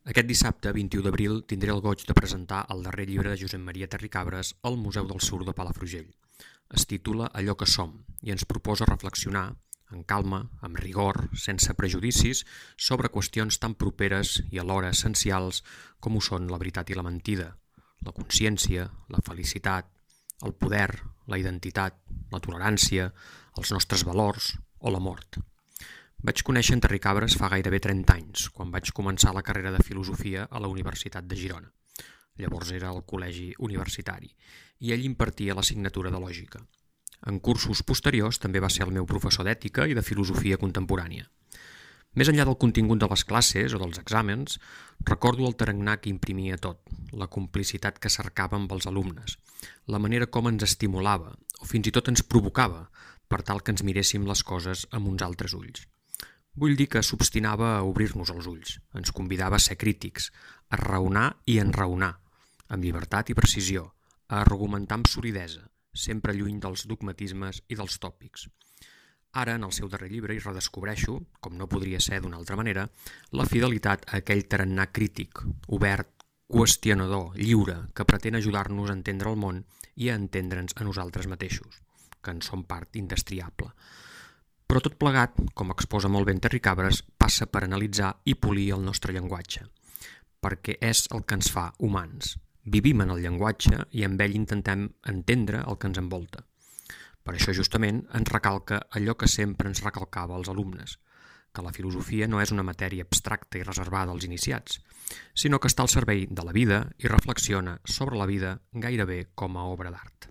Aquest dissabte, 21 d'abril, tindré el goig de presentar el darrer llibre de Josep Maria Terricabres al Museu del Sur de Palafrugell. Es titula Allò que som i ens proposa reflexionar, en calma, amb rigor, sense prejudicis, sobre qüestions tan properes i alhora essencials com ho són la veritat i la mentida, la consciència, la felicitat, el poder, la identitat, la tolerància, els nostres valors o la mort. Vaig conèixer en Terricabres fa gairebé 30 anys, quan vaig començar la carrera de filosofia a la Universitat de Girona. Llavors era al col·legi universitari, i ell impartia l'assignatura de lògica. En cursos posteriors també va ser el meu professor d'ètica i de filosofia contemporània. Més enllà del contingut de les classes o dels exàmens, recordo el tarannà que imprimia tot, la complicitat que cercava amb els alumnes, la manera com ens estimulava o fins i tot ens provocava per tal que ens miréssim les coses amb uns altres ulls. Vull dir que s'obstinava a obrir-nos els ulls, ens convidava a ser crítics, a raonar i enraonar, amb llibertat i precisió, a argumentar amb solidesa, sempre lluny dels dogmatismes i dels tòpics. Ara, en el seu darrer llibre, hi redescobreixo, com no podria ser d'una altra manera, la fidelitat a aquell tarannà crític, obert, qüestionador, lliure, que pretén ajudar-nos a entendre el món i a entendre'ns a nosaltres mateixos, que en som part indestriable. Però tot plegat, com exposa molt bé en Terricabres, passa per analitzar i polir el nostre llenguatge, perquè és el que ens fa humans. Vivim en el llenguatge i amb ell intentem entendre el que ens envolta. Per això justament ens recalca allò que sempre ens recalcava als alumnes, que la filosofia no és una matèria abstracta i reservada als iniciats, sinó que està al servei de la vida i reflexiona sobre la vida gairebé com a obra d'art.